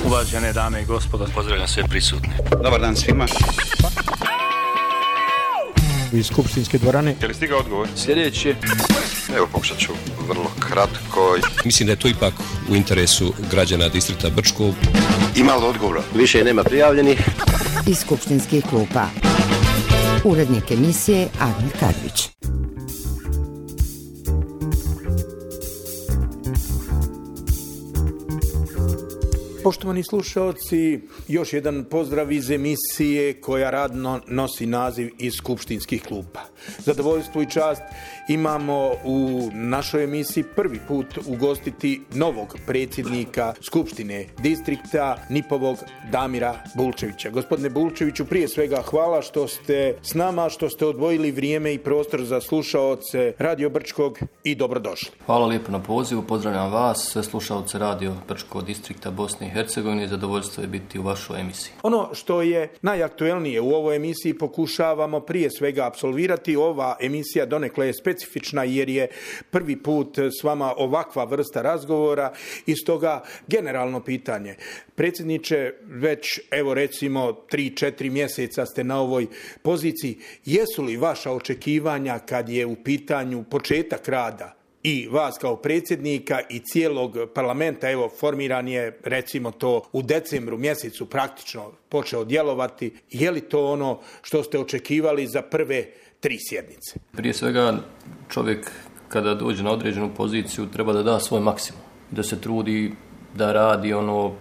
Uvažene dame i gospodo, pozdravljam sve prisutne. Dobar dan svima. Iz skupštinske dvorane. Je li stigao odgovor? Sljedeći. Evo, pokušat ću vrlo kratko. Mislim da je to ipak u interesu građana distrikta Brčko. Ima li odgovora? Više nema prijavljenih. Iz skupštinskih klupa. Urednik emisije Admir Kadrić. Poštovani slušalci, još jedan pozdrav iz emisije koja radno nosi naziv Iz skupštinskih klupa. Zadovoljstvo i čast imamo u našoj emisiji prvi put ugostiti novog predsjednika Skupštine distrikta Nipovog Damira Bulčevića. Gospodine Bulčeviću, prije svega hvala što ste s nama, što ste odvojili vrijeme i prostor za slušaoce Radio Brčkog i dobrodošli. Hvala lijepo na pozivu, pozdravljam vas, sve slušaoce Radio Brčkog distrikta Bosne i Hercegovine, zadovoljstvo je biti u vašoj emisiji. Ono što je najaktuelnije u ovoj emisiji pokušavamo prije svega apsolvirati. Ova emisija donekle je specifična jer je prvi put s vama ovakva vrsta razgovora i stoga generalno pitanje. Predsjedniče, već evo recimo 3-4 mjeseca ste na ovoj poziciji. Jesu li vaša očekivanja kad je u pitanju početak rada i vas kao predsjednika i cijelog parlamenta, evo formiran je recimo to u decembru mjesecu praktično počeo djelovati, je li to ono što ste očekivali za prve 3 sjednice? Prije svega čovjek kada dođe na određenu poziciju treba da da svoj maksimum, da se trudi da radi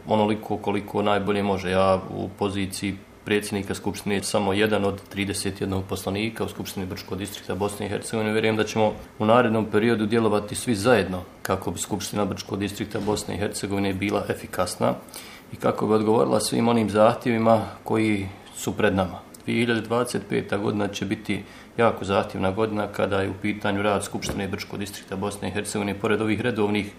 onoliko koliko najbolje može. Ja u poziciji predsjednika Skupštine je samo jedan od 31 poslanika u Skupštini Brčkog distrikta Bosne i Hercegovine. Vjerujem da ćemo u narednom periodu djelovati svi zajedno kako bi Skupština Brčkog distrikta Bosne i Hercegovine bila efikasna i kako bi odgovorila svim onim zahtjevima koji su pred nama. 2025. godina će biti jako zahtjevna godina kada je u pitanju rad Skupštine Brčkog distrikta Bosne i Hercegovine. Pored ovih redovnih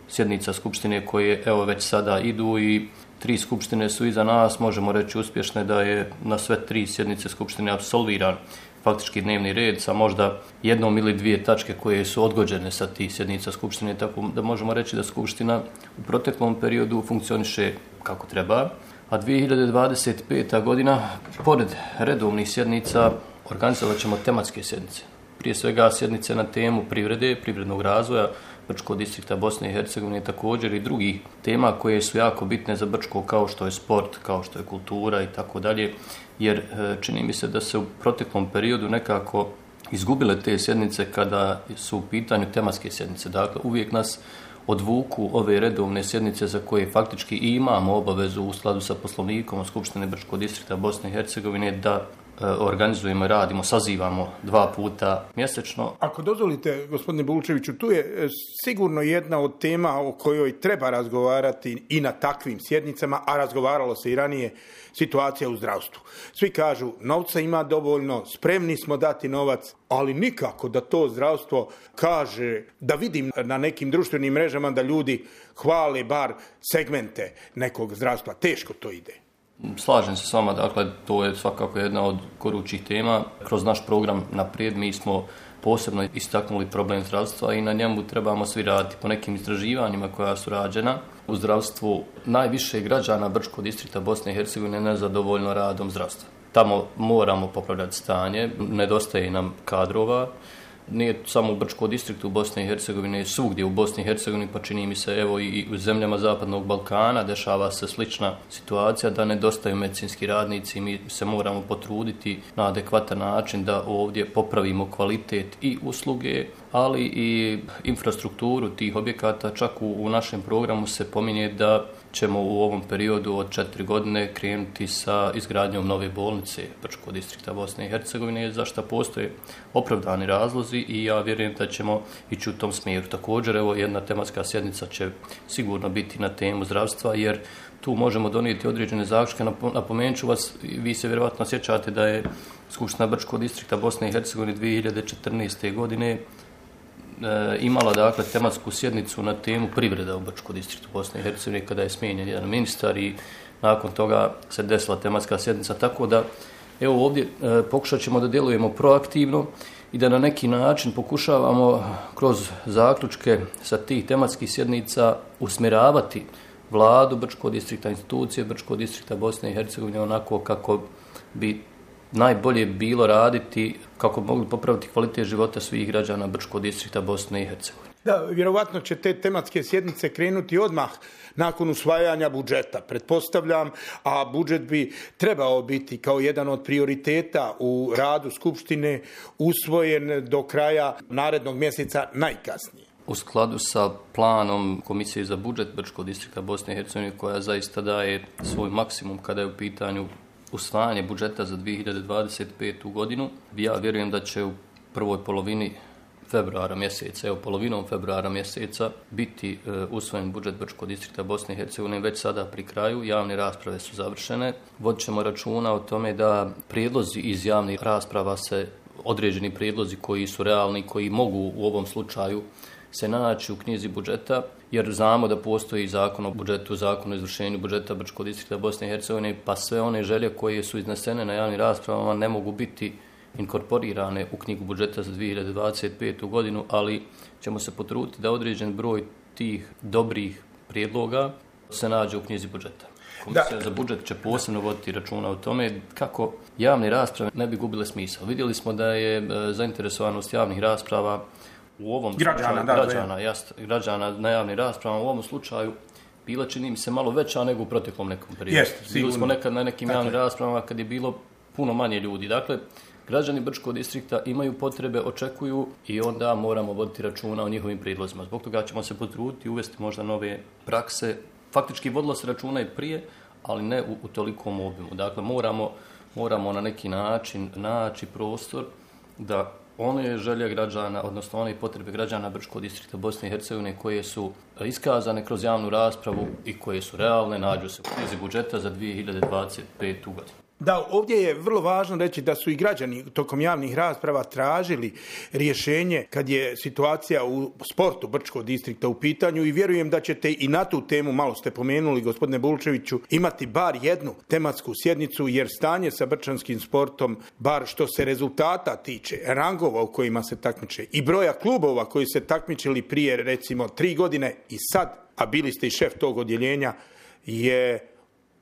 sjednica Skupštine koje evo već sada idu i 3 skupštine su iza nas, možemo reći uspješne da je na sve 3 sjednice Skupštine apsolviran faktički dnevni red sa možda 1 ili 2 tačke koje su odgođene sa tih sjednica Skupštine, tako da možemo reći da Skupština u proteklom periodu funkcioniše kako treba, a 2025. godina pored redovnih sjednica organizovat ćemo tematske sjednice. Prije svega sjednice na temu privrede, privrednog razvoja Brčkog distrikta Bosne i Hercegovine, također i drugih tema koje su jako bitne za Brčko, kao što je sport, kao što je kultura i tako dalje, jer čini mi se da se u proteklom periodu nekako izgubile te sjednice kada su u pitanju tematske sjednice. Dakle, uvijek nas odvuku ove redovne sjednice za koje faktički i imamo obavezu u skladu sa Poslovnikom Skupštine Brčkog distrikta Bosne i Hercegovine da organizujemo i radimo, sazivamo 2 puta mjesečno. Ako dozvolite, gospodine Bulčeviću, tu je sigurno jedna od tema o kojoj treba razgovarati i na takvim sjednicama, a razgovaralo se i ranije, situacija u zdravstvu. Svi kažu, novca ima dovoljno, spremni smo dati novac, ali nikako da to zdravstvo kaže, da vidim na nekim društvenim mrežama da ljudi hvale bar segmente nekog zdravstva. Teško to ide. Slažem se s vama, dakle, to je svakako jedna od gorućih tema. Kroz naš program Naprijed mi smo posebno istaknuli problem zdravstva i na njemu trebamo svi raditi. Po nekim istraživanjima koja su rađena u zdravstvu, najviše građana Brčkog distrikta Bosne i Hercegovine nezadovoljno radom zdravstva. Tamo moramo popravljati stanje, nedostaje nam kadrova. Nije samo u Brčkom distriktu Bosne i Hercegovine, svugdje u Bosni i Hercegovini, pa čini mi se evo i u zemljama Zapadnog Balkana dešava se slična situacija da nedostaju medicinski radnici. Mi se moramo potruditi na adekvatan način da ovdje popravimo kvalitet i usluge, ali i infrastrukturu tih objekata. Čak u našem programu se pominje da ćemo u ovom periodu od 4 godine krenuti sa izgradnjom nove bolnice Brčkog distrikta Bosne i Hercegovine, za što postoje opravdani razlozi i ja vjerujem da ćemo ići u tom smjeru. Također, evo, jedna tematska sjednica će sigurno biti na temu zdravstva, jer tu možemo donijeti određene zaključke. Napomenut ću vas, vi se vjerojatno sjećate da je Skupština Brčkog distrikta Bosne i Hercegovine 2014. godine imala dakle tematsku sjednicu na temu privreda u Brčkom distriktu Bosne i Hercegovine kada je smijenjen jedan ministar i nakon toga se desila tematska sjednica, tako da evo ovdje pokušat ćemo da djelujemo proaktivno i da na neki način pokušavamo kroz zaključke sa tih tematskih sjednica usmjeravati vladu Brčkog distrikta, institucije Brčkog distrikta Bosne i Hercegovine onako kako bi najbolje bilo raditi, kako bi mogli popraviti kvalitet života svih građana Brčkog distrikta Bosne i Hercegovine. Da, vjerovatno će te tematske sjednice krenuti odmah nakon usvajanja budžeta, pretpostavljam, a budžet bi trebao biti kao jedan od prioriteta u radu Skupštine usvojen do kraja narednog mjeseca najkasnije. U skladu sa planom Komisije za budžet Brčkog distrikta Bosne i Hercegovine, koja zaista daje svoj maksimum kada je u pitanju usvajanje budžeta za 2025. godinu, ja vjerujem da će u prvoj polovini februara mjeseca, polovinom februara mjeseca biti usvojen budžet Brčkog distrikta Bosne i Hercegovine već sada pri kraju. Javne rasprave su završene. Vodit ćemo računa o tome da prijedlozi iz javnih rasprava određeni prijedlozi koji su realni, koji mogu u ovom slučaju se naći u knjizi budžeta, jer znamo da postoji zakon o budžetu, zakon o izvršenju budžeta Brčkog distrikta Bosne i Hercegovine, pa sve one želje koje su iznesene na javnim raspravama ne mogu biti inkorporirane u knjigu budžeta za 2025. godinu, ali ćemo se potruditi da određen broj tih dobrih prijedloga se nađe u knjizi budžeta. Komisija za budžet će posebno voditi računa o tome kako javne rasprave ne bi gubile smisao. Vidjeli smo da je zainteresovanost javnih rasprava u ovom građana na javnim raspravama u ovom slučaju bila, čini mi se, malo veća nego u proteklom nekom periodu. Bili smo nekad na nekim javnim raspravama kad je bilo puno manje ljudi. Dakle, građani Brčkog distrikta imaju potrebe, očekuju i onda moramo voditi računa o njihovim prijedlozima. Zbog toga ćemo se potruditi uvesti možda nove prakse. Faktički vodilo se računa i prije, ali ne u tolikom obimu. Dakle, moramo na neki način naći prostor da one želje građana, odnosno one potrebe građana Brčkog distrikta Bosne i Hercegovine koje su iskazane kroz javnu raspravu i koje su realne, nađu se u knjizi budžeta za 2025. godinu. Da, ovdje je vrlo važno reći da su i građani tokom javnih rasprava tražili rješenje kad je situacija u sportu Brčkog distrikta u pitanju i vjerujem da ćete i na tu temu, malo ste pomenuli gospodine Bulčeviću, imati bar jednu tematsku sjednicu, jer stanje sa brčanskim sportom, bar što se rezultata tiče, rangova u kojima se takmiče i broja klubova koji se takmičili prije recimo 3 godine i sad, a bili ste i šef tog odjeljenja, je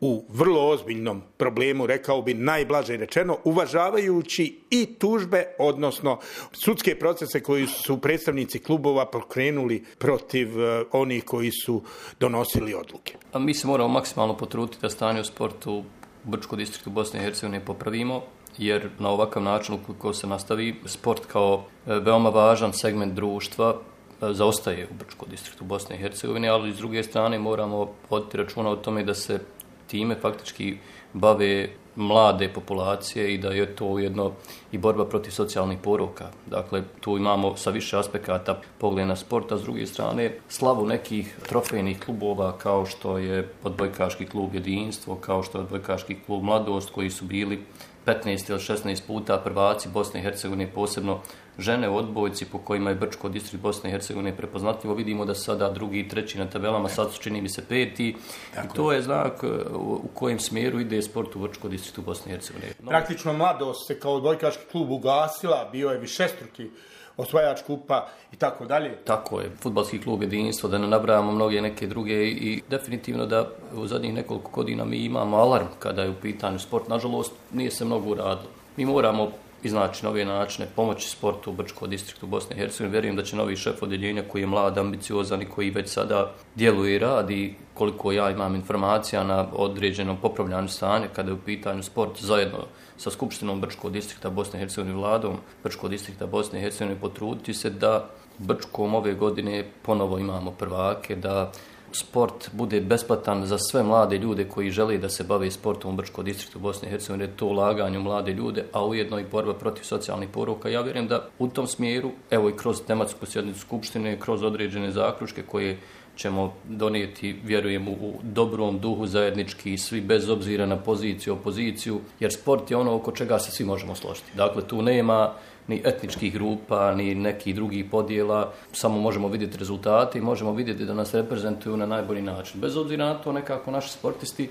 u vrlo ozbiljnom problemu, rekao bi najblaže rečeno, uvažavajući i tužbe, odnosno sudske procese koji su predstavnici klubova pokrenuli protiv onih koji su donosili odluke. A mi se moramo maksimalno potruditi da stanje u sportu u Brčkom distriktu Bosne i Hercegovine popravimo, jer na ovakav način ukoliko se nastavi, sport kao veoma važan segment društva zaostaje u Brčkom distriktu Bosne i Hercegovine, ali s druge strane moramo voditi računa o tome da se time faktički bave mlade populacije i da je to ujedno i borba protiv socijalnih poroka. Dakle, tu imamo sa više aspekata pogled na sport, a s druge strane slavu nekih trofejnih klubova kao što je odbojkaški klub Jedinstvo, kao što je odbojkaški klub Mladost, koji su bili 15 ili 16 puta prvaci Bosne i Hercegovine, posebno žene u odbojci po kojima je Brčko distrikt Bosne i Hercegovine prepoznatljivo. Vidimo da sada drugi i treći na tabelama, sad su čini mi se peti. I to je znak u kojem smjeru ide sport u Brčko distriktu Bosne i Hercegovine. Praktično Mladost se kao odbojkaški klub ugasila, bio je višestruki osvajač kupa i tako dalje. Tako je, fudbalski klub Jedinstvo, da ne nabrajamo mnoge neke druge i definitivno da u zadnjih nekoliko godina mi imamo alarm kada je u pitanju sport. Nažalost, nije se mnogo uradilo. Mi moramo iznaći nove načine pomoći sportu u Brčkom distriktu Bosne i Hercegovine. Vjerujem da će novi šef odjeljenja koji je mlad, ambiciozan i koji već sada djeluje i radi, koliko ja imam informacija na određenom popravljanju stanja kada je u pitanju sport, zajedno sa Skupštinom Brčkog distrikta Bosne i Hercegovine, vladom Brčkog distrikta Bosne i Hercegovine, potruditi se da Brčkom ove godine ponovo imamo prvake, da sport bude besplatan za sve mlade ljude koji žele da se bave sportom u Brčkom distriktu Bosne i Hercegovine, to ulaganje u mlade ljude, a ujedno i borba protiv socijalnih poroka. Ja vjerujem da u tom smjeru, evo i kroz tematsku sjednicu Skupštine, kroz određene zaključke koje ćemo donijeti, vjerujem, u dobrom duhu zajednički, svi bez obzira na poziciju, opoziciju, jer sport je ono oko čega se svi možemo složiti. Dakle, tu nema ni etničkih grupa, ni nekih drugih podjela, samo možemo vidjeti rezultate i možemo vidjeti da nas reprezentuju na najbolji način. Bez obzira na to, nekako naši sportisti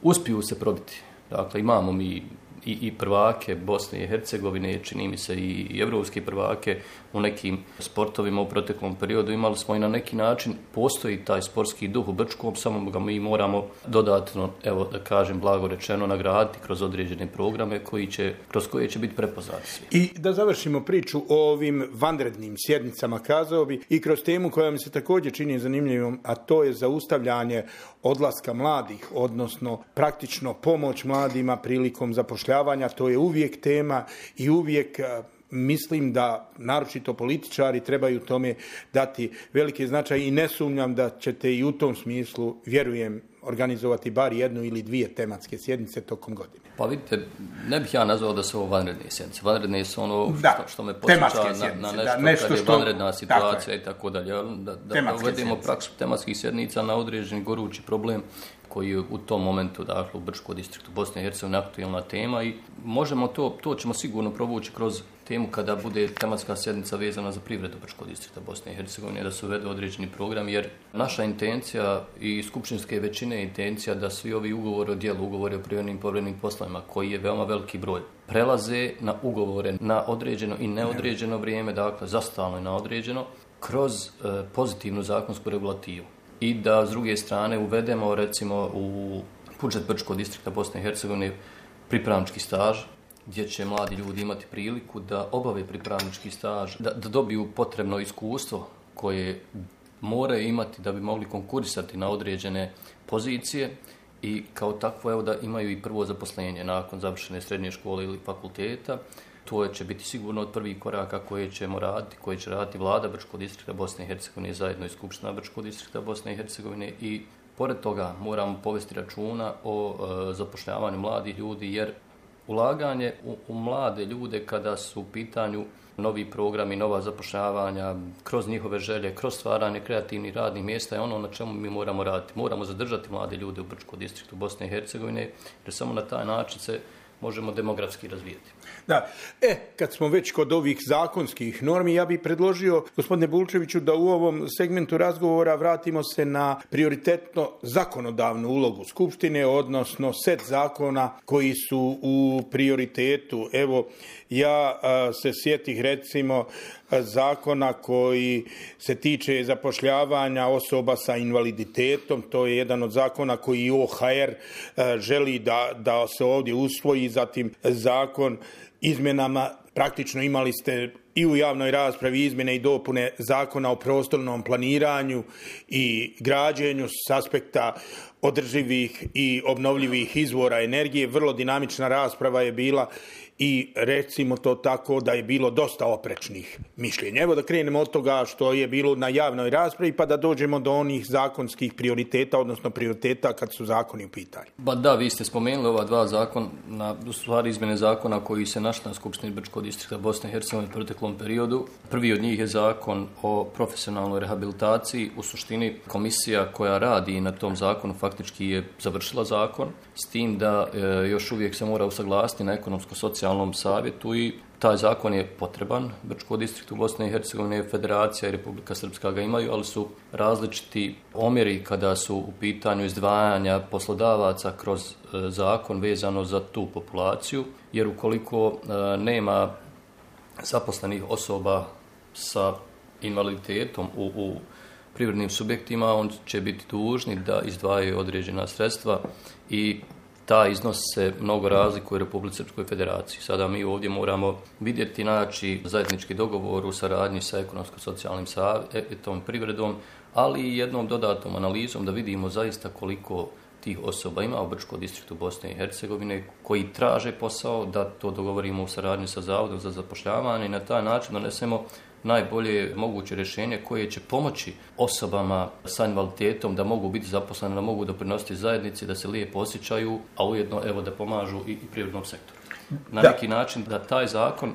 uspiju se probiti. Dakle, imamo mi i prvake Bosne i Hercegovine, čini mi se i evropske prvake u nekim sportovima u proteklom periodu. Imali smo i na neki način, postoji taj sportski duh u Brčkom, samo ga mi moramo dodatno, evo da kažem blago rečeno, nagraditi kroz određene programe kroz koje će biti prepoznati svi. I da završimo priču o ovim vanrednim sjednicama, kazao bi, i kroz temu koja mi se također čini zanimljivom, a to je zaustavljanje odlaska mladih, odnosno praktično pomoć mladima prilikom zapošljavanja. To je uvijek tema i uvijek mislim da naročito političari trebaju tome dati veliki značaj i ne sumnjam da ćete i u tom smislu, vjerujem, organizovati bar jednu ili dvije tematske sjednice tokom godine. Pa vidite, ne bih ja nazvao da su ovo vanredne sjednice. Vanredne su ono što me podsjeća na nešto kad je vanredna situacija i tako dalje. Da uvedemo praksu tematskih sjednica na određeni gorući problem koji je u tom momentu, dakle, u Brčkom distriktu Bosne i Hercegovine aktualna tema i možemo to ćemo sigurno provući kroz temu kada bude tematska sjednica vezana za privredu Brčkog distrikta Bosne i Hercegovine, da se uvede određeni program, jer naša intencija i skupštinske većine je intencija da svi ovi ugovori o djelu, ugovori o privrednim i povremenim poslovima, koji je veoma veliki broj, prelaze na ugovore na određeno i neodređeno vrijeme, dakle, za stalno i na određeno, kroz pozitivnu zakonsku regulativu. I da s druge strane uvedemo recimo u budžet Brčkog distrikta Bosne i Hercegovine pripravnički staž, gdje će mladi ljudi imati priliku da obave pripravnički staž, da dobiju potrebno iskustvo koje moraju imati da bi mogli konkurisati na određene pozicije i kao takvo evo da imaju i prvo zaposlenje nakon završene srednje škole ili fakulteta. To će biti sigurno od prvih koraka koje će raditi vlada Brčkog distrikta Bosne i Hercegovine zajedno i Skupština Brčkog distrikta Bosne i Hercegovine i pored toga moramo povesti računa o zapošljavanju mladih ljudi jer ulaganje u mlade ljude kada su u pitanju novi programi, nova zapošljavanja, kroz njihove želje, kroz stvaranje kreativnih radnih mjesta je ono na čemu mi moramo raditi. Moramo zadržati mlade ljude u Brčkom distriktu Bosne i Hercegovine jer samo na taj način se možemo demografski razvijeti. Da. Kad smo već kod ovih zakonskih normi, ja bih predložio, gospodine Bulčeviću, da u ovom segmentu razgovora vratimo se na prioritetno zakonodavnu ulogu Skupštine, odnosno set zakona koji su u prioritetu. Evo, ja se sjetih recimo zakona koji se tiče zapošljavanja osoba sa invaliditetom. To je jedan od zakona koji OHR želi da se ovdje usvoji. Zatim zakon izmjenama, praktično imali ste i u javnoj raspravi izmjene i dopune zakona o prostornom planiranju i građenju s aspekta održivih i obnovljivih izvora energije. Vrlo dinamična rasprava je bila i recimo to tako da je bilo dosta oprečnih mišljenja. Evo da krenemo od toga što je bilo na javnoj raspravi pa da dođemo do onih zakonskih prioriteta, odnosno prioriteta kad su zakoni u pitanju. Ba da, vi ste spomenuli ova dva zakona, u stvari izmjene zakona koji se našli na Skupštini Brčkog distrikta Bosne i Hercegovine u proteklom periodu. Prvi od njih je zakon o profesionalnoj rehabilitaciji. U suštini komisija koja radi na tom zakonu faktički je završila zakon, s tim da još uvijek se mora usaglasiti na ekonomsko-socijalnom savjetu i taj zakon je potreban. Brčkom distriktu Bosne i Hercegovine, Federacija i Republika Srpska ga imaju, ali su različiti omjeri kada su u pitanju izdvajanja poslodavaca kroz zakon vezano za tu populaciju, jer ukoliko nema zaposlenih osoba sa invaliditetom u privrednim subjektima, on će biti dužni da izdvajaju određena sredstva i taj iznos se mnogo razlikuje u Republici Srpskoj Federaciji. Sada mi ovdje moramo vidjeti, naći zajednički dogovor u saradnji sa ekonomsko-socijalnim savjetom, privredom, ali i jednom dodatnom analizom da vidimo zaista koliko tih osoba ima u Brčkom distriktu Bosne i Hercegovine koji traže posao, da to dogovorimo u saradnji sa Zavodom za zapošljavanje i na taj način donesemo najbolje moguće rješenje koje će pomoći osobama sa invaliditetom da mogu biti zaposlene, da mogu doprinositi zajednici, da se lijepo osjećaju, a ujedno evo da pomažu i privrednom sektoru. Na neki način da taj zakon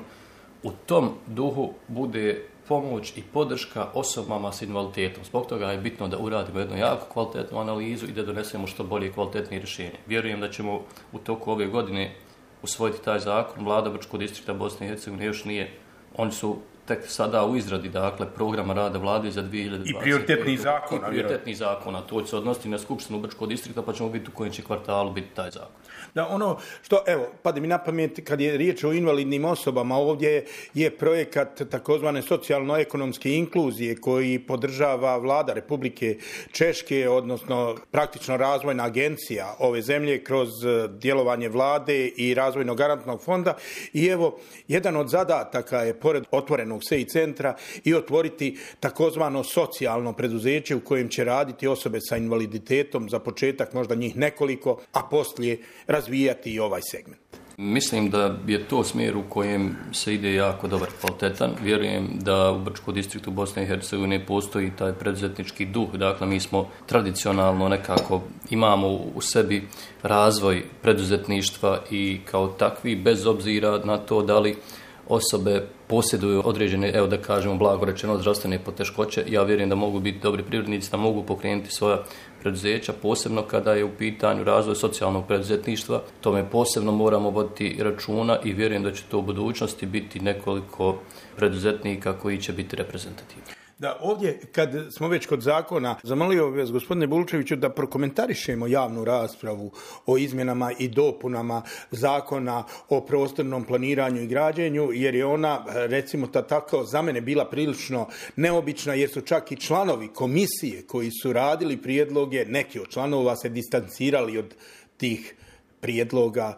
u tom duhu bude pomoć i podrška osobama s invaliditetom. Zbog toga je bitno da uradimo jednu jako kvalitetnu analizu i da donesemo što bolje i kvalitetnije rješenje. Vjerujem da ćemo u toku ove godine usvojiti taj zakon. Vlada Brčkog distrikta Bosne i Hercegovine još nije. Oni su tek sada u izradi, dakle, programa rada vlade za 2020. I prioritetnih zakona. I prioritetnih zakona. To će se odnositi na Skupštinu Brčkog distrikta, pa ćemo vidjeti u kojem će kvartalu biti taj zakon. Da, ono što, evo, pade mi na pamet kad je riječ o invalidnim osobama, ovdje je projekat takozvane socijalno-ekonomske inkluzije koji podržava vlada Republike Češke, odnosno praktično razvojna agencija ove zemlje kroz djelovanje vlade i razvojnog garantnog fonda. I evo, jedan od zadataka je, pored otvorenog SEI centra, i otvoriti takozvano socijalno preduzeće u kojem će raditi osobe sa invaliditetom, za početak možda njih nekoliko, a poslije razvijati i ovaj segment. Mislim da je to smjer u kojem se ide jako dobar, kvalitetan. Vjerujem da u Brčkom distriktu Bosne i Hercegovine postoji taj preduzetnički duh. Dakle, mi smo tradicionalno nekako imamo u sebi razvoj preduzetništva i kao takvi, bez obzira na to da li osobe posjeduju određene, evo da kažemo blago rečeno, zdravstvene poteškoće. Ja vjerujem da mogu biti dobri privrednici, da mogu pokrenuti svoja preduzeća, posebno kada je u pitanju razvoj socijalnog preduzetništva. Tome posebno moramo voditi računa i vjerujem da će to u budućnosti biti nekoliko preduzetnika koji će biti reprezentativni. Da, ovdje, kad smo već kod zakona, zamolio bih vas, gospodine Bulčeviću, da prokomentarišemo javnu raspravu o izmjenama i dopunama zakona o prostornom planiranju i građenju, jer je ona, recimo tako, za mene bila prilično neobična, jer su čak i članovi komisije koji su radili prijedloge, neki od članova se distancirali od tih prijedloga,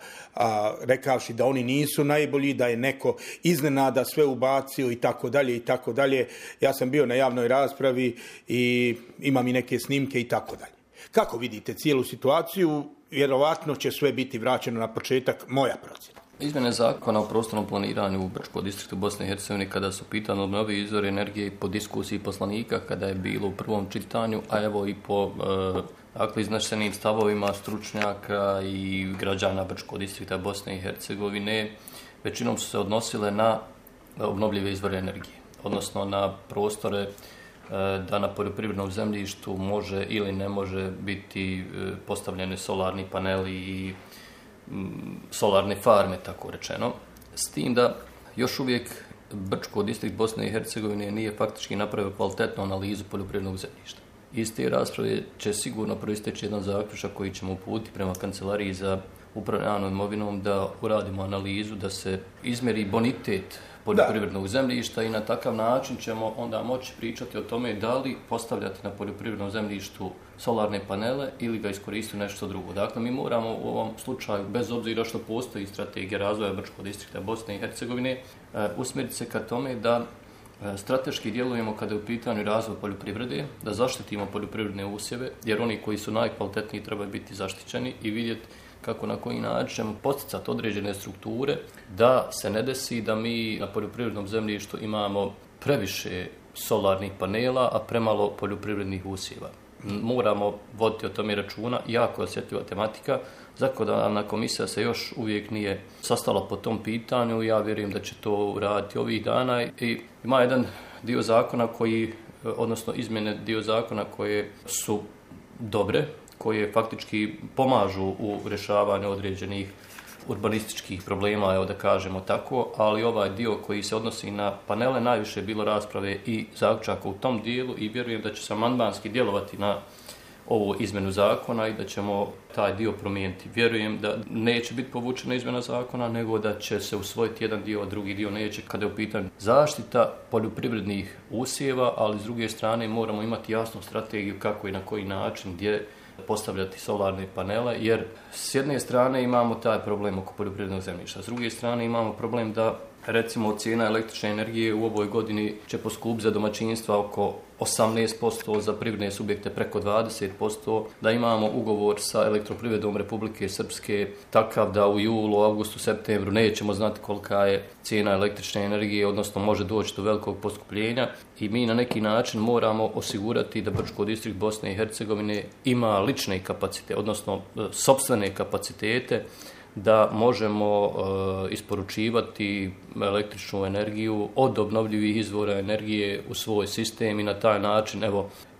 rekavši da oni nisu najbolji, da je neko iznenada sve ubacio i tako dalje i tako dalje. Ja sam bio na javnoj raspravi i imam i neke snimke i tako dalje. Kako vidite cijelu situaciju? Vjerovatno će sve biti vraćeno na početak, moja procjena. Izmjene zakona o prostornom planiranju u Brčkom distriktu Bosne i Hercegovine, kada su pitani obnovljivi izvori energije po diskusiji poslanika, kada je bilo u prvom čitanju, a evo i po iznešenim stavovima stručnjaka i građana Brčkog distrikta Bosne i Hercegovine, većinom su se odnosile na obnovljive izvore energije, odnosno na prostore da na poljoprivrednom zemljištu može ili ne može biti postavljeni solarni paneli i solarne farme, tako rečeno. S tim da još uvijek Brčko distrikt Bosne i Hercegovine nije faktički napravio kvalitetnu analizu poljoprivrednog zemljišta. Iz te rasprave će sigurno proisteći jedan zaključak koji ćemo uputiti prema Kancelariji za upravljanje imovinom, da uradimo analizu, da se izmjeri bonitet poljoprivrednog zemljišta i na takav način ćemo onda moći pričati o tome da li postavljati na poljoprivrednom zemljištu solarne panele ili ga iskoristiti nešto drugo. Dakle, mi moramo u ovom slučaju, bez obzira što postoji strategija razvoja Brčkog distrikta Bosne i Hercegovine, usmjeriti se ka tome da strateški djelujemo kada je u pitanju razvoj poljoprivrede, da zaštitimo poljoprivredne usjeve, jer oni koji su najkvalitetniji trebaju biti zaštićeni i vidjeti kako na koji način ćemo posticati određene strukture, da se ne desi da mi na poljoprivrednom zemljištu imamo previše solarnih panela, a premalo poljoprivrednih usjeva. Moramo voditi o tome računa, jako osjetljiva tematika. Zakonodavna komisija se još uvijek nije sastala po tom pitanju, ja vjerujem da će to uraditi ovih dana i ima jedan dio zakona odnosno izmjene dio zakona koje su dobre, koje faktički pomažu u rješavanju određenih urbanističkih problema, evo da kažemo tako, ali ovaj dio koji se odnosi na panele, najviše je bilo rasprave i zaključaka u tom dijelu i vjerujem da će se amandmanski djelovati na ovu izmjenu zakona i da ćemo taj dio promijeniti. Vjerujem da neće biti povučena izmjena zakona, nego da će se usvojiti jedan dio, a drugi dio neće, kada je u pitanju zaštita poljoprivrednih usjeva, ali s druge strane moramo imati jasnu strategiju kako i na koji način, gdje postavljati solarne panele, jer s jedne strane imamo taj problem oko poljoprivrednog zemljišta, s druge strane imamo problem da recimo cijena električne energije u ovoj godini će poskupiti za domaćinstva oko 18%, za privredne subjekte preko 20%, da imamo ugovor sa Elektroprivredom Republike Srpske takav da u julu, augustu, septembru nećemo znati kolika je cijena električne energije, odnosno može doći do velikog poskupljenja i mi na neki način moramo osigurati da Brčko distrikt Bosne i Hercegovine ima lične kapacitete, odnosno sopstvene kapacitete da možemo isporučivati električnu energiju od obnovljivih izvora energije u svoj sistem i na taj način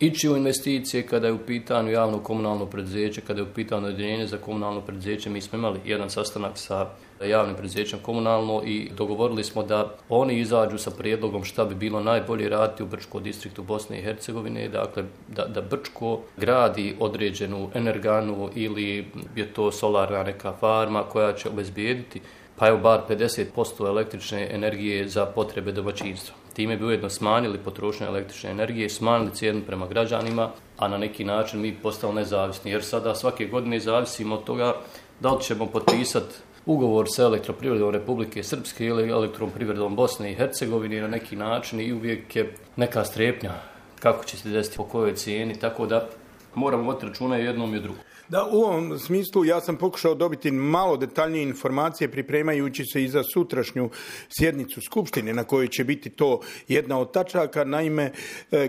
ići u investicije kada je u pitanju javno komunalno preduzeće, kada je u pitanju odjeljenje za komunalno preduzeće. Mi smo imali jedan sastanak sa javnim preduzećem komunalno i dogovorili smo da oni izađu sa prijedlogom šta bi bilo najbolje raditi u Brčko distriktu Bosne i Hercegovine, dakle da Brčko gradi određenu energanu ili je to solarna neka farma koja će obezbijediti pa evo bar 50% električne energije za potrebe domaćinstva. Time bi ujedno smanjili potrošnju električne energije, smanjili cijenu prema građanima, a na neki način mi postali nezavisni. Jer sada svake godine zavisimo od toga da li ćemo potpisati ugovor sa elektroprivredom Republike Srpske ili elektroprivredom Bosne i Hercegovine na neki način i uvijek je neka strepnja kako će se desiti po kojoj cijeni, tako da moramo voditi računa jednom i drugom. Da, u ovom smislu ja sam pokušao dobiti malo detaljnije informacije pripremajući se i za sutrašnju sjednicu Skupštine na kojoj će biti to jedna od tačaka. Naime,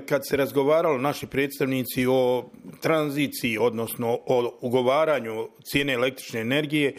kad se razgovaralo naši predstavnici o tranziciji, odnosno o ugovaranju cijene električne energije,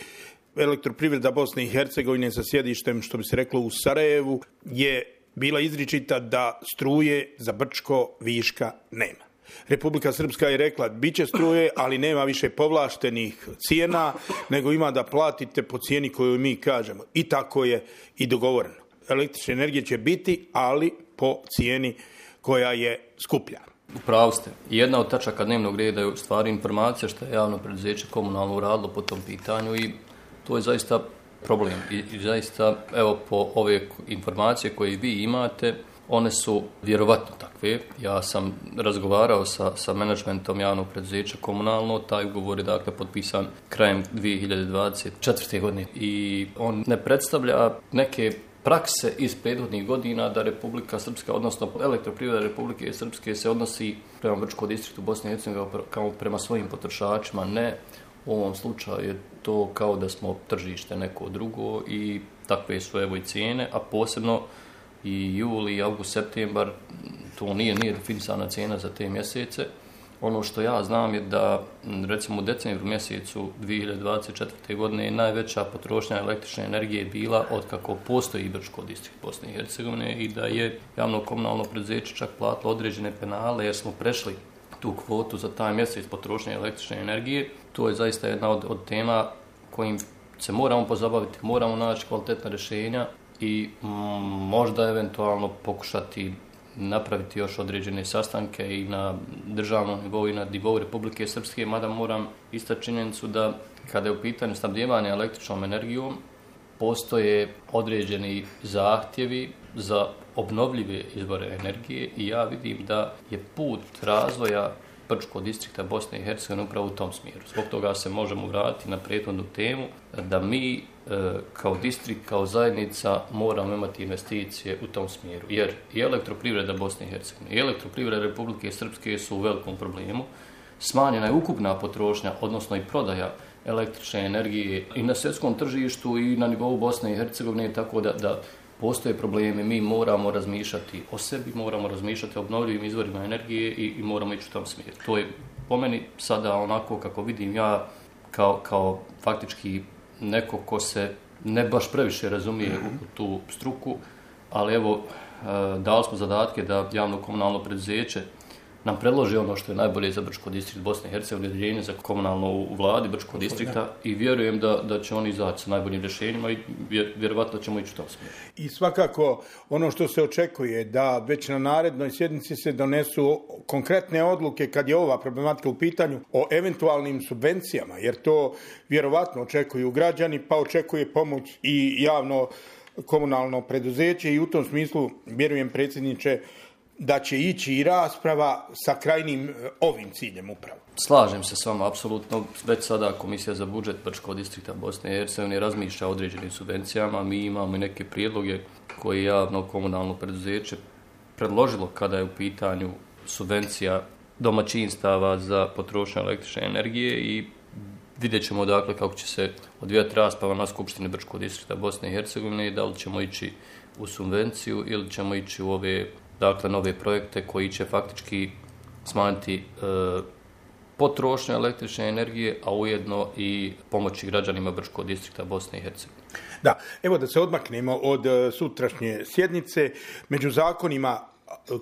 Elektroprivreda Bosne i Hercegovine sa sjedištem, što bi se reklo, u Sarajevu, je bila izričita da struje za Brčko viška nema. Republika Srpska je rekla bit će struje, ali nema više povlaštenih cijena, nego ima da platite po cijeni koju mi kažemo. I tako je i dogovoreno. Električne energije će biti, ali po cijeni koja je skuplja. Upravo ste. Jedna od tačaka dnevnog reda je u stvari informacija što je javno preduzeće komunalno uradilo po tom pitanju i to je zaista problem. I zaista, evo, po ove informacije koje vi imate, one su vjerovatno takve. Ja sam razgovarao sa menadžmentom javnog preduzeća komunalno, taj ugovor je dakle potpisan krajem 2024. godine i on ne predstavlja neke prakse iz prethodnih godina da Republika Srpska, odnosno Elektroprivreda Republike Srpske se odnosi prema Brčkom distriktu Bosne i Hercegovine kao prema svojim potrošačima. Ne, u ovom slučaju je to kao da smo tržište neko drugo i takve su evo i cijene, a posebno i juli, august, septembar, to nije definisana cijena za te mjesece. Ono što ja znam je da recimo u decembru mjesecu 2024. godine je najveća potrošnja električne energije bila od kako postoji Brčko distrikt Bosne i Hercegovine i da je javno komunalno preduzeće čak platilo određene penale jer smo prešli tu kvotu za taj mjesec potrošnje električne energije. To je zaista jedna od tema kojim se moramo pozabaviti, moramo naći kvalitetna rješenja i možda eventualno pokušati napraviti još određene sastanke i na državnom nivou i na nivou Republike Srpske, mada moram istaći činjenicu da kada je u pitanju snabdijevanja električnom energijom, postoje određeni zahtjevi za obnovljive izvore energije i ja vidim da je put razvoja Brčkog distrikta Bosne i Hercegovine upravo u tom smjeru. Zbog toga se možemo vratiti na prethodnu temu da mi kao distrikt, kao zajednica moramo imati investicije u tom smjeru. Jer i Elektroprivreda Bosne i Hercegovine i Elektroprivreda Republike Srpske su u velikom problemu. Smanjena je ukupna potrošnja, odnosno i prodaja električne energije i na svjetskom tržištu i na nivou Bosne i Hercegovine, tako da postoje problemi. Mi moramo razmišljati o sebi, moramo razmišljati o obnovljivim izvorima energije i moramo ići u tom smjeru. To je po meni sada onako kako vidim ja kao faktički neko ko se ne baš previše razumije u tu struku, ali evo dali smo zadatke da javno komunalno preduzeće nam predloži ono što je najbolje za Brčko distrikt Bosne i Hercegovine, odjeljenje za komunalno u vladi Brčkog distrikta i vjerujem da će oni izaći sa najboljim rješenjima i vjerovatno ćemo ići u tom smjeru. I svakako ono što se očekuje da već na narednoj sjednici se donesu konkretne odluke kad je ova problematika u pitanju o eventualnim subvencijama, jer to vjerovatno očekuju građani, pa očekuje pomoć i javno komunalno preduzeće i u tom smislu vjerujem, predsjedniče, da će ići i rasprava sa krajnim ovim ciljem upravo. Slažem se s vama, apsolutno. Već sada Komisija za budžet Brčkog distrikta Bosne i Hercegovine razmišlja o određenim subvencijama. Mi imamo i neke prijedloge koje je javno komunalno preduzeće predložilo kada je u pitanju subvencija domaćinstava za potrošnju električne energije i vidjet ćemo dakle kako će se odvijati rasprava na Skupštini Brčkog distrikta Bosne i Hercegovine i da li ćemo ići u subvenciju ili ćemo ići u ove nove projekte koji će faktički smanjiti potrošnju električne energije, a ujedno i pomoći građanima Brčkog distrikta Bosne i Hercegovine. Da, evo da se odmaknemo od sutrašnje sjednice. Među zakonima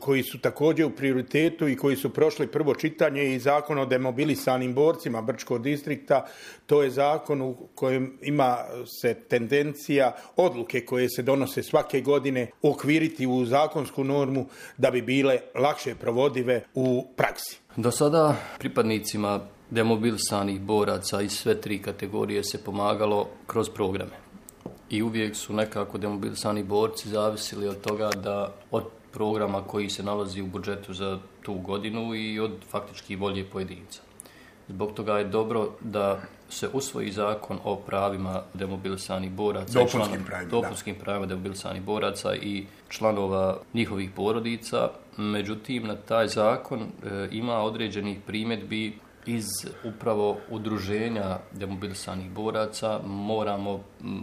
koji su također u prioritetu i koji su prošli prvo čitanje i zakon o demobilisanim borcima Brčkog distrikta. To je zakon u kojem ima se tendencija odluke koje se donose svake godine uokviriti u zakonsku normu da bi bile lakše provodive u praksi. Do sada pripadnicima demobilisanih boraca iz sve 3 kategorije se pomagalo kroz programe. I uvijek su nekako demobilisani borci zavisili od toga da od programa koji se nalazi u budžetu za tu godinu i od faktički volje pojedinca. Zbog toga je dobro da se usvoji zakon o pravima demobilisanih boraca, dopunskim pravima demobilisanih boraca i članova njihovih porodica. Međutim, na taj zakon ima određenih primjedbi iz upravo udruženja demobilisanih boraca. Moramo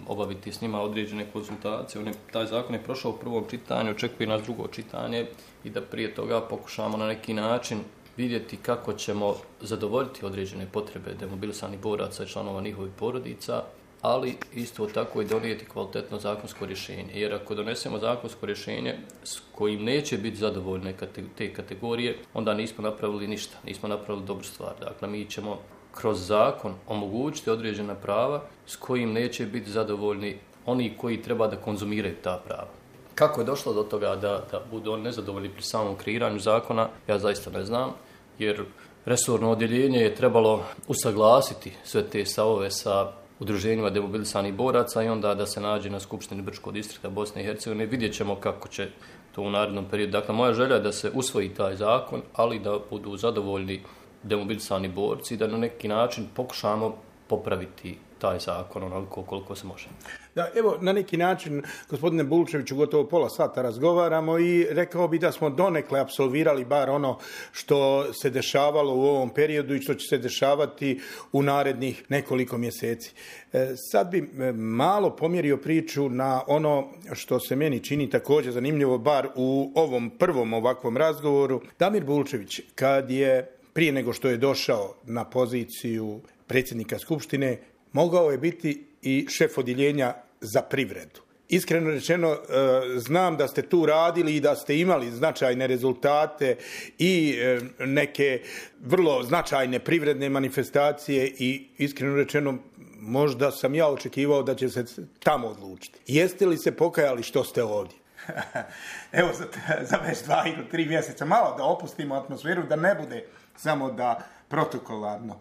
obaviti s njima određene konsultacije. Taj zakon je prošao u prvom čitanju, očekuje nas drugo čitanje i da prije toga pokušamo na neki način vidjeti kako ćemo zadovoljiti određene potrebe demobilisanih boraca i članova njihovih porodica, ali isto tako i donijeti kvalitetno zakonsko rješenje. Jer ako donesemo zakonsko rješenje s kojim neće biti zadovoljne te kategorije, onda nismo napravili ništa, nismo napravili dobru stvar. Dakle, mi ćemo kroz zakon omogućiti određena prava s kojim neće biti zadovoljni oni koji treba da konzumiraju ta prava. Kako je došlo do toga da budu oni nezadovoljni pri samom kreiranju zakona, ja zaista ne znam, jer resorno odjeljenje je trebalo usaglasiti sve te stavove sa udruženjima demobilisanih boraca i onda da se nađe na Skupštini Brčkog distrikta Bosne i Hercegovine. Vidjet ćemo kako će to u narednom periodu. Dakle, moja želja je da se usvoji taj zakon, ali da budu zadovoljni demobilisani borci, da na neki način pokušamo popraviti taj zakon onoliko koliko se može. Da, evo, na neki način, gospodine Bulčeviću, gotovo pola sata razgovaramo i rekao bi da smo donekle apsolvirali bar ono što se dešavalo u ovom periodu i što će se dešavati u narednih nekoliko mjeseci. Sad bi malo pomjerio priču na ono što se meni čini također zanimljivo, bar u ovom prvom ovakvom razgovoru. Damir Bulčević, kad je prije nego što je došao na poziciju predsjednika Skupštine, mogao je biti i šef odjeljenja za privredu. Iskreno rečeno, znam da ste tu radili i da ste imali značajne rezultate i neke vrlo značajne privredne manifestacije i iskreno rečeno, možda sam ja očekivao da će se tamo odlučiti. Jeste li se pokajali što ste ovdje? Evo, za već 2 ili 3 mjeseca malo da opustimo atmosferu, da ne bude samo da protokolarno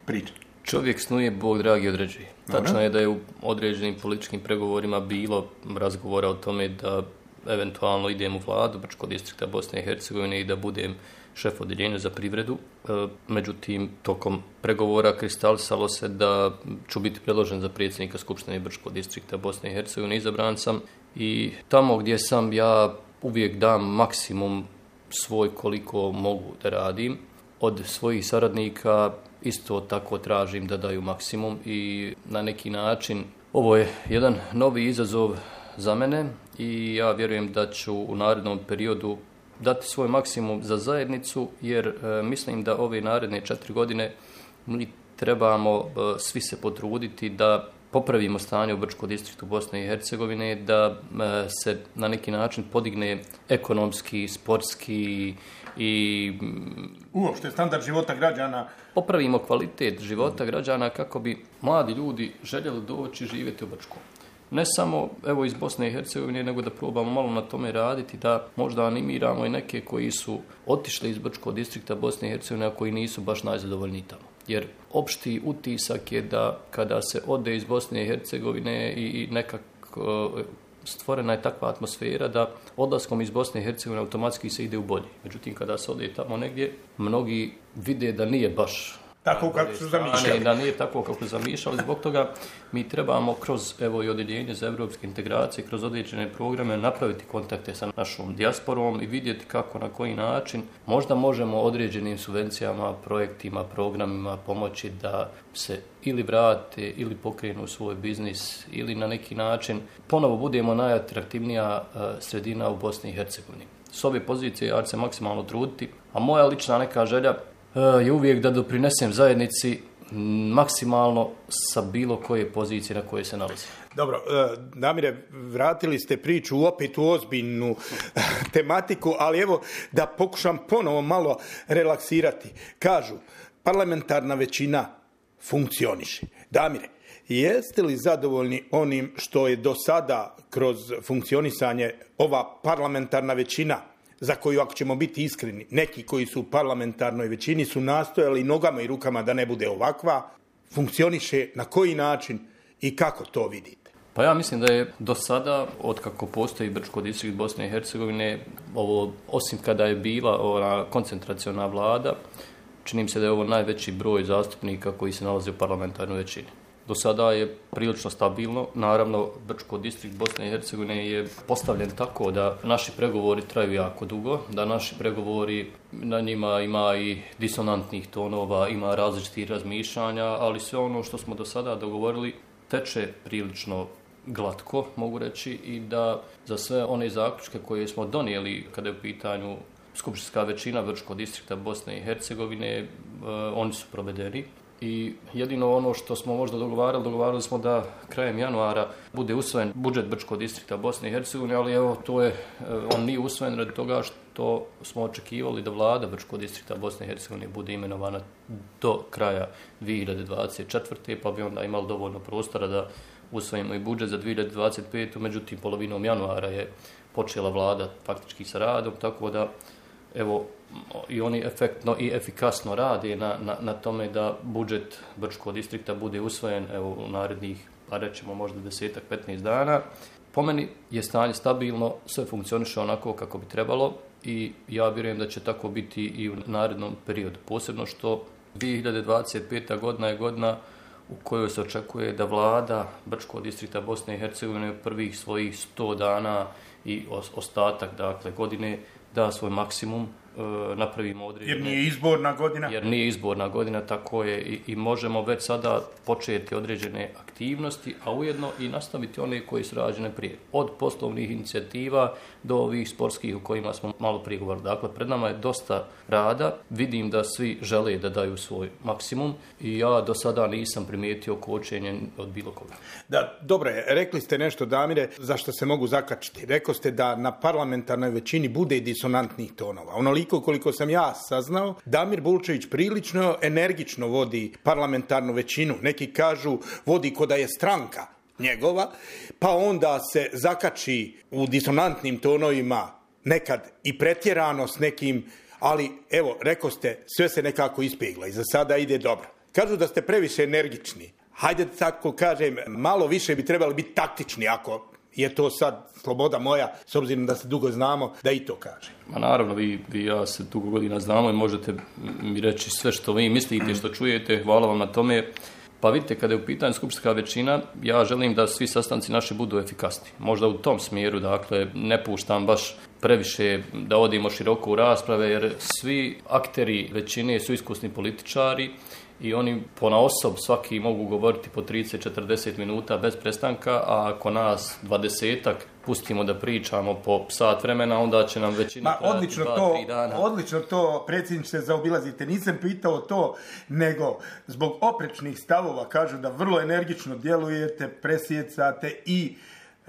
priča. Čovjek snuje, Bog dragi određuje. Tačno je da je u određenim političkim pregovorima bilo razgovora o tome da eventualno idem u vladu Brčkog distrikta Bosne i Hercegovine i da budem šef odjeljenja za privredu. Međutim, tokom pregovora kristalisalo se da ću biti predložen za predsjednika Skupštine Brčkog distrikta Bosne i Hercegovine. Izabran sam i tamo gdje sam ja uvijek dam maksimum svoj koliko mogu da radim. Od svojih saradnika isto tako tražim da daju maksimum i na neki način ovo je jedan novi izazov za mene i ja vjerujem da ću u narednom periodu dati svoj maksimum za zajednicu, jer mislim da ove naredne 4 godine mi trebamo svi se potruditi da popravimo stanje u Brčkom distriktu Bosne i Hercegovine, da se na neki način podigne ekonomski, sportski i uopšte standard života građana. Popravimo kvalitet života građana kako bi mladi ljudi željeli doći živjeti u Brčkom. Ne samo evo iz Bosne i Hercegovine, nego da probamo malo na tome raditi, da možda animiramo i neke koji su otišli iz Brčkog distrikta Bosne i Hercegovine, a koji nisu baš najzadovoljniji tamo. Jer opšti utisak je da kada se ode iz Bosne i Hercegovine i nekako stvorena je takva atmosfera da odlaskom iz Bosne i Hercegovine automatski se ide u bolje. Međutim, kada se ode tamo negdje, mnogi vide da nije baš tako kako su zamišljali. Da nije tako kako su zamišljali. Zbog toga mi trebamo kroz evo i odjeljenje za evropske integracije, kroz određene programe napraviti kontakte sa našom dijasporom i vidjeti kako, na koji način možda možemo određenim subvencijama, projektima, programima pomoći da se ili vrate ili pokrenu svoj biznis ili na neki način ponovo budemo najatraktivnija sredina u Bosni i Hercegovini. S ove pozicije ja ću se maksimalno truditi, a moja lična neka želja je uvijek da doprinesem zajednici maksimalno sa bilo koje pozicije na koje se nalazi. Dobro, Damire, vratili ste priču opet u ozbiljnu tematiku, ali evo da pokušam ponovo malo relaksirati. Kažu, parlamentarna većina funkcioniše. Damire, jeste li zadovoljni onim što je do sada kroz funkcionisanje ova parlamentarna većina, za koju, ako ćemo biti iskreni, neki koji su u parlamentarnoj većini su nastojali nogama i rukama da ne bude ovakva, funkcioniše na koji način i kako to vidite? Pa ja mislim da je do sada, od kako postoji Brčko distrikt Bosne i Hercegovine, ovo, osim kada je bila ova koncentraciona vlada, čini mi se da je ovo najveći broj zastupnika koji se nalaze u parlamentarnoj većini. Do sada je prilično stabilno. Naravno, Brčko distrikt Bosne i Hercegovine je postavljen tako da naši pregovori traju jako dugo, da naši pregovori, na njima ima i disonantnih tonova, ima različitih razmišljanja, ali sve ono što smo do sada dogovorili teče prilično glatko, mogu reći, i da za sve one zaključke koje smo donijeli kada je u pitanju skupštinska većina Brčkog distrikta Bosne i Hercegovine, oni su provedeni. I jedino ono što smo možda dogovarali smo da krajem januara bude usvojen budžet Brčkog distrikta Bosne i Hercegovine, ali evo, on nije usvojen radi toga što smo očekivali da vlada Brčkog distrikta Bosne i Hercegovine bude imenovana do kraja 2024. pa bi onda imali dovoljno prostora da usvojimo i budžet za 2025. Međutim, polovinom januara je počela vlada faktički sa radom, tako da evo, i oni efektno i efikasno rade na tome da budžet Brčkog distrikta bude usvojen evo, u narednih, pa rećemo možda 10-15 dana. Po meni je stanje stabilno, sve funkcioniše onako kako bi trebalo i ja vjerujem da će tako biti i u narednom periodu. Posebno što 2025. godina je godina u kojoj se očekuje da vlada Brčkog distrikta Bosne i Hercegovine u prvih svojih 100 dana i ostatak dakle, godine da svoj maksimum, napravimo određene... Jer nije izborna godina. Jer nije izborna godina, tako je i možemo već sada početi određene aktivnosti, a ujedno i nastaviti one koje su rađene prije. Od poslovnih inicijativa do ovih sportskih u kojima smo malo prije govorili. Dakle, pred nama je dosta rada. Vidim da svi žele da daju svoj maksimum i ja do sada nisam primijetio kočenje od bilo koga. Da, dobro je. Rekli ste nešto, Damire, za što se mogu zakačiti. Rekli ste da na parlamentarnoj većini bude disonantnih tonova. Onoliko koliko sam ja saznao, Damir Bulčević prilično energično vodi parlamentarnu većinu. Neki kažu vodi ko da je stranka njegova, pa onda se zakači u disonantnim tonovima, nekad i pretjerano s nekim, ali evo, rekao ste, sve se nekako ispegla i za sada ide dobro. Kažu da ste previše energični. Hajde tako kažem, malo više bi trebali biti taktični, ako je to sad sloboda moja, s obzirom da se dugo znamo, da i to kaže. Ma naravno, vi ja se dugo godina znamo i možete mi reći sve što vi mislite, što čujete, hvala vam na tome. Pa vidite, kada je u pitanju skupštinska većina, ja želim da svi sastanci naši budu efikasni. Možda u tom smjeru, dakle, ne puštam baš previše da odimo široko u rasprave, jer svi akteri većine su iskusni političari i oni ponaosob svaki mogu govoriti po 30-40 minuta bez prestanka, a ako nas 20-ak pustimo da pričamo po sat vremena, onda će nam većina trajati 2-3 dana. Odlično to, predsjedniče, zaobilazite. Nisam pitao to, nego zbog oprečnih stavova kažu da vrlo energično djelujete, presjecate i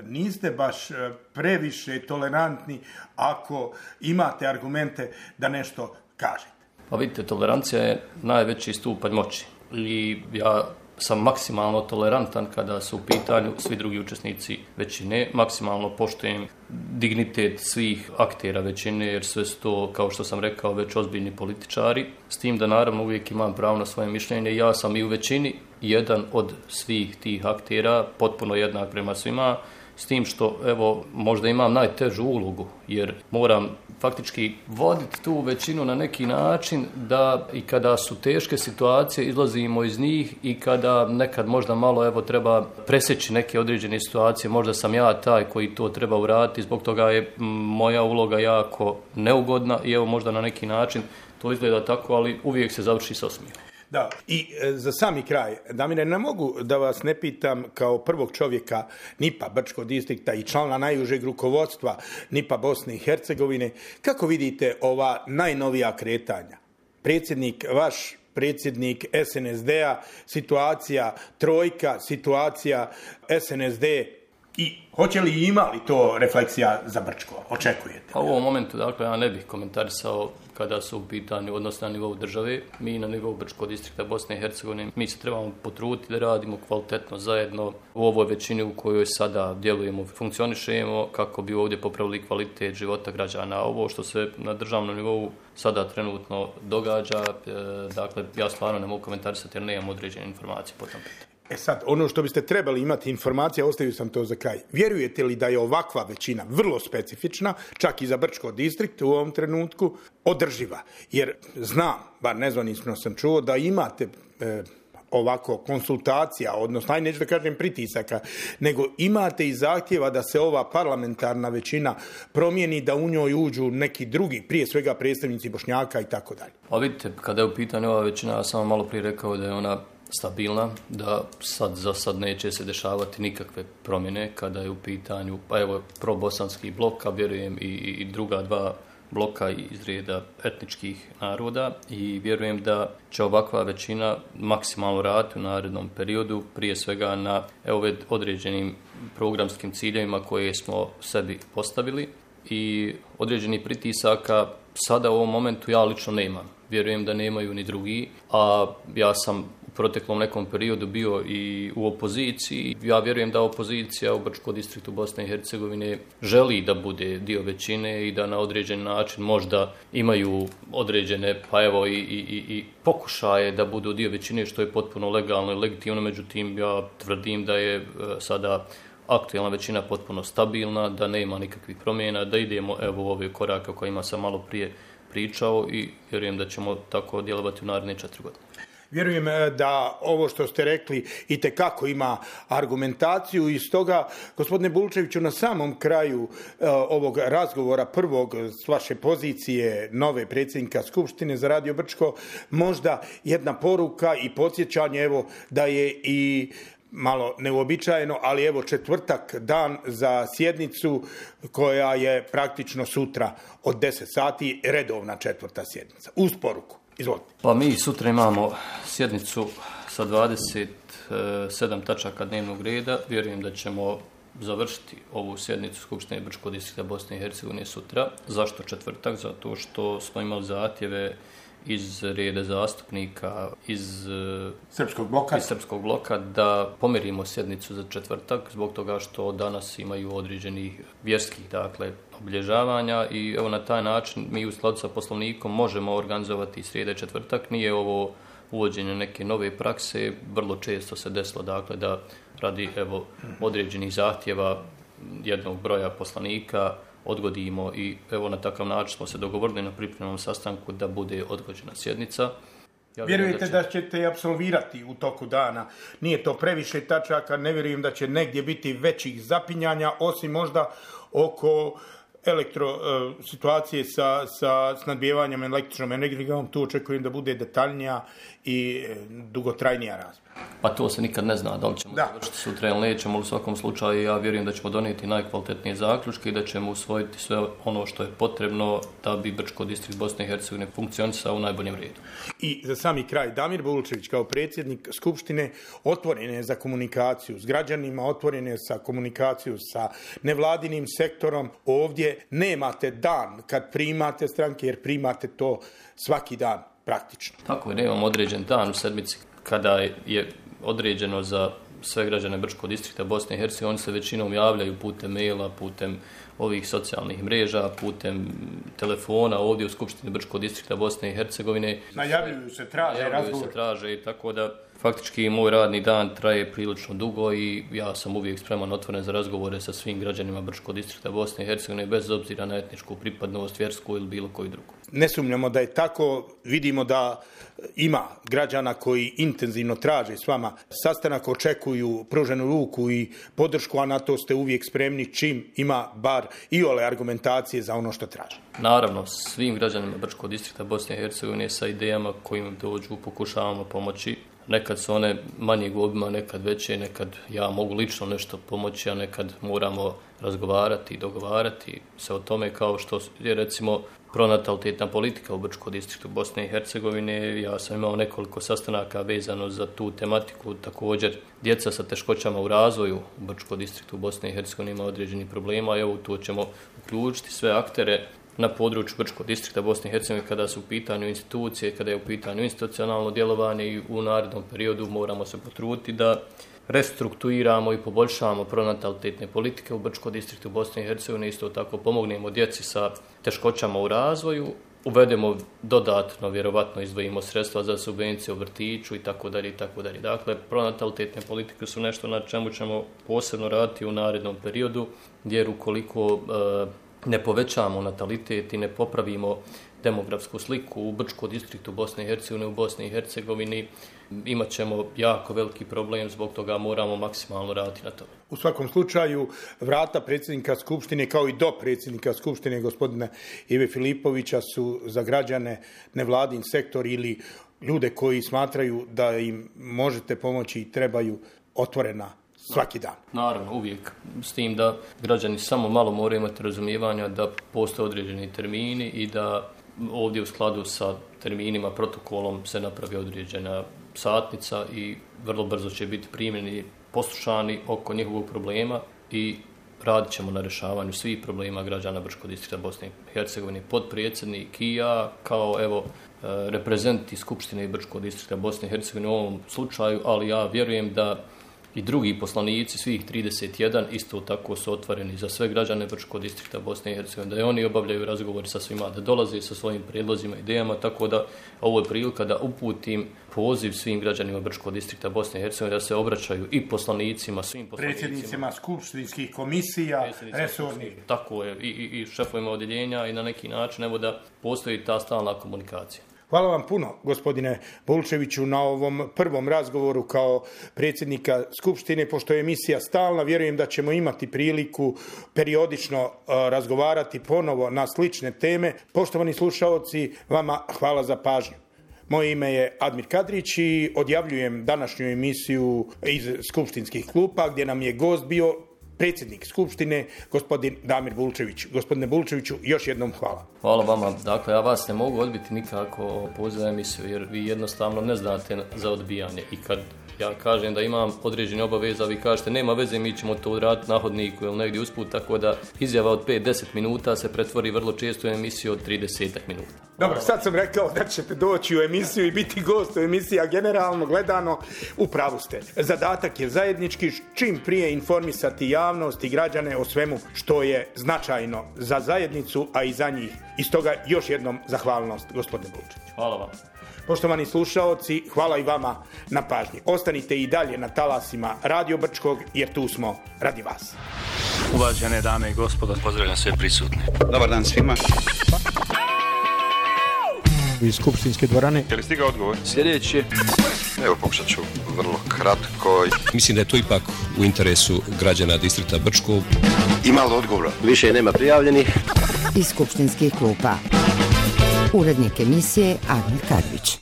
niste baš previše tolerantni ako imate argumente da nešto kažete. Pa vidite, tolerancija je najveći stupanj moći i ja sam maksimalno tolerantan kada su u pitanju svi drugi učesnici većine, maksimalno poštujem dignitet svih aktera većine, jer sve su to, kao što sam rekao, već ozbiljni političari, s tim da naravno uvijek imam pravo na svoje mišljenje. Ja sam i u većini jedan od svih tih aktera, potpuno jednak prema svima, s tim što, evo, možda imam najtežu ulogu, jer moram faktički voditi tu većinu na neki način da i kada su teške situacije izlazimo iz njih i kada nekad možda malo evo treba presjeći neke određene situacije, možda sam ja taj koji to treba uraditi, zbog toga je moja uloga jako neugodna i evo možda na neki način to izgleda tako, ali uvijek se završi sa osmijehom. Da, i za sami kraj, Damire, ne mogu da vas ne pitam kao prvog čovjeka NIP-a Brčkog distrikta i člana najužeg rukovodstva NIP-a Bosne i Hercegovine, kako vidite ova najnovija kretanja? Predsjednik vaš predsjednik SNSD-a, situacija trojka, situacija SNSD i hoće li imali to refleksija za Brčko? Očekujete? Pa u ovom momentu, dakle, ja ne bih komentarisao kada su u pitanju odnos na nivou države. Mi na nivou Brčkog distrikta Bosne i Hercegovine, mi se trebamo potruditi da radimo kvalitetno zajedno u ovoj većini u kojoj sada djelujemo, funkcionišemo kako bi ovdje popravili kvalitet života građana. Ovo što se na državnom nivou sada trenutno događa, dakle, ja stvarno ne mogu komentarisati jer nemam određene informacije po tom pitanju. Sad, ono što biste trebali imati informacija, ostavio sam to za kraj. Vjerujete li da je ovakva većina vrlo specifična, čak i za Brčko distrikt u ovom trenutku, održiva? Jer znam, bar nezvanično sam čuo, da imate ovako konsultacija, odnosno, neću da kažem pritisaka, nego imate i zahtjeva da se ova parlamentarna većina promijeni, da u njoj uđu neki drugi, prije svega predstavnici Bošnjaka i tako dalje. Pa vidite, kada je u pitanju ova većina, ja sam malo prije rekao da je ona stabilna, da za sad neće se dešavati nikakve promjene kada je u pitanju, pa evo, probosanski blok, a vjerujem i druga dva bloka iz reda etničkih naroda i vjerujem da će ovakva većina maksimalno raditi u narednom periodu, prije svega na određenim programskim ciljevima koje smo sebi postavili i određenih pritisaka sada u ovom momentu ja lično nemam. Vjerujem da nemaju ni drugi, a ja sam u proteklom nekom periodu bio i u opoziciji. Ja vjerujem da opozicija u Brčkom distriktu Bosne i Hercegovine želi da bude dio većine i da na određen način možda imaju određene, pa evo i pokušaje da budu dio većine, što je potpuno legalno i legitimno. Međutim, ja tvrdim da je sada aktualna većina potpuno stabilna, da nema nikakvih promjena, da idemo evo u ove korake o kojima sam malo prije pričao i vjerujem da ćemo tako djelovati u naredne 4 godine. Vjerujem da ovo što ste rekli itekako ima argumentaciju i stoga, gospodine Bulčeviću, na samom kraju ovog razgovora prvog s vaše pozicije nove predsjednika Skupštine za Radio Brčko, možda jedna poruka i podsjećanje, evo, da je i malo neuobičajeno, ali evo četvrtak dan za sjednicu koja je praktično sutra od 10 sati, redovna četvrta sjednica. Uz poruku. Izvolite. Pa mi sutra imamo sjednicu sa 27 tačaka dnevnog reda. Vjerujem da ćemo završiti ovu sjednicu Skupštine Brčkog distrikta Bosne i Hercegovine sutra. Zašto četvrtak? Zato što smo imali zahtjeve iz reda zastupnika iz Srpskog bloka da pomerimo sjednicu za četvrtak zbog toga što danas imaju određenih vjerskih, dakle, obilježavanja i evo na taj način mi u skladu sa Poslovnikom možemo organizovati srijede četvrtak. Nije ovo uvođenje neke nove prakse, vrlo često se desilo, dakle, da radi evo određenih zahtjeva jednog broja poslanika odgodimo i evo na takav način smo se dogovorili na pripremnom sastanku da bude odgođena sjednica. Ja vjerujete da ćete apsolvirati u toku dana? Nije to previše tačaka, ne vjerujem da će negdje biti većih zapinjanja, osim možda oko situacije sa snadbijevanjem električnom energijom. Tu očekujem da bude detaljnija i dugotrajnija rasprava. Pa to se nikad ne zna, da li ćemo završiti sutra ili nećemo, u svakom slučaju ja vjerujem da ćemo donijeti najkvalitetnije zaključke i da ćemo usvojiti sve ono što je potrebno da bi Brčko distrikt Bosne i Hercegovine funkcionisao u najboljem redu. I za sami kraj, Damir Bulčević kao predsjednik Skupštine otvoren je za komunikaciju s građanima, otvoren je za komunikaciju sa nevladinim sektorom. Ovdje nemate dan kad primate stranke, jer primate to svaki dan praktično. Tako je, nemam određen dan u sedmici kada je određeno za sve građane Brčkog distrikta Bosne i Hercegovine. Oni se većinom javljaju putem maila, putem ovih socijalnih mreža, putem telefona ovdje u Skupštini Brčkog distrikta Bosne i Hercegovine. Najavljuju se, traže i tako da faktički moj radni dan traje prilično dugo i ja sam uvijek spreman, otvoren za razgovore sa svim građanima Brčkog distrikta Bosne i Hercegovine bez obzira na etničku pripadnost, vjersku ili bilo koju drugu. Ne sumnjamo da je tako, vidimo da ima građana koji intenzivno traže s vama sastanak, očekuju pruženu ruku i podršku, a na to ste uvijek spremni čim ima bar iole argumentacije za ono što traže. Naravno, svim građanima Brčkog distrikta Bosne i Hercegovine sa idejama kojim dođu pokušavamo pomoći. Nekad su one manjeg obima, nekad veće, nekad ja mogu lično nešto pomoći, a nekad moramo razgovarati i dogovarati se o tome, kao što je recimo pronatalitetna politika u Brčkom distriktu Bosne i Hercegovine. Ja sam imao nekoliko sastanaka vezano za tu tematiku. Također, djeca sa teškoćama u razvoju u Brčkom distriktu Bosne i Hercegovine ima određenih problema. Evo, tu ćemo uključiti sve aktere na području Brčkog distrikta Bosne i Hercegovine kada su u pitanju institucije, kada je u pitanju institucionalno djelovanje i u narednom periodu moramo se potruditi da restrukturiramo i poboljšamo pronatalitetne politike u Brčkom distriktu Bosne i Hercegovine, isto tako pomognemo djeci sa teškoćama u razvoju, uvedemo dodatno, vjerovatno izdvojimo sredstva za subvencije u vrtiću i tako dalje. Dakle, pronatalitetne politike su nešto na čemu ćemo posebno raditi u narednom periodu, jer ukoliko ne povećamo natalitet i ne popravimo demografsku sliku u Brčkom distriktu Bosne i Hercegovine, u Bosni i Hercegovini, imat ćemo jako veliki problem, zbog toga moramo maksimalno raditi na tome. U svakom slučaju, vrata predsjednika Skupštine kao i do predsjednika Skupštine gospodina Ive Filipovića su za građane, nevladin sektor ili ljude koji smatraju da im možete pomoći i trebaju otvorena svaki dan. Naravno, uvijek. S tim da građani samo malo moraju imati razumijevanja da postoje određeni termini i da ovdje u skladu sa terminima, protokolom se napravi određena satnica i vrlo brzo će biti primljeni, poslušani oko njihovog problema i radit ćemo na rješavanju svih problema građana Brčkog distrikta Bosne i Hercegovine. Potpredsjednik i ja kao reprezentati Skupštine Brčkog distrikta Bosne i Hercegovine u ovom slučaju, ali ja vjerujem da i drugi poslanici, svih 31, isto tako su otvoreni za sve građane Brčkog distrikta Bosne i Hercegovine, da oni obavljaju razgovor sa svima, da dolaze sa svojim prijedlozima, idejama, tako da ovo je prilika da uputim poziv svim građanima Brčkog distrikta Bosne i Hercegovine da se obraćaju i poslanicima, svim poslanicima, predsjednicima skupštinskih komisija, resornih. Tako je, i šefovima odjeljenja i na neki način, evo da postoji ta stalna komunikacija. Hvala vam puno, gospodine Bulčeviću, na ovom prvom razgovoru kao predsjednika Skupštine. Pošto je emisija stalna, vjerujem da ćemo imati priliku periodično razgovarati ponovo na slične teme. Poštovani slušaoci, vama hvala za pažnju. Moje ime je Admir Kadrić i odjavljujem današnju emisiju iz skupštinskih klupa gdje nam je gost bio predsjednik Skupštine, gospodin Damir Bulčević. Gospodine Bulčeviću, još jednom hvala. Hvala vama. Dakle, ja vas ne mogu odbiti nikako poziv emisiju, jer vi jednostavno ne znate za odbijanje. I kad ja kažem da imam određene obaveze, a vi kažete nema veze, mi ćemo to raditi na hodniku ili negdje usput, tako da izjava od 5-10 minuta se pretvori vrlo često u emisiju od 30 minuta. Dobro, sad sam rekao da ćete doći u emisiju i biti gost u emisiji, a generalno gledano u pravu ste. Zadatak je zajednički, čim prije informisati javnost i građane o svemu što je značajno za zajednicu, a i za njih. I stoga još jednom zahvalnost, gospodine Bulčević. Hvala vam. Poštovani slušaoci, hvala i vama na pažnji. Ostanite i dalje na talasima Radio Brčkog, jer tu smo radi vas. Uvažene dame i gospodo, pozdravljam sve prisutne. Dobar dan svima. Iz skupštinske dvorane. Je li stigao odgovor? Sljedeći. Evo, pokušat ću vrlo kratko. Mislim da je to ipak u interesu građana distrikta Brčkog. Ima li odgovora? Više nema prijavljenih. Iz skupštinskih klupa. Urednik emisije Admir Kadrić.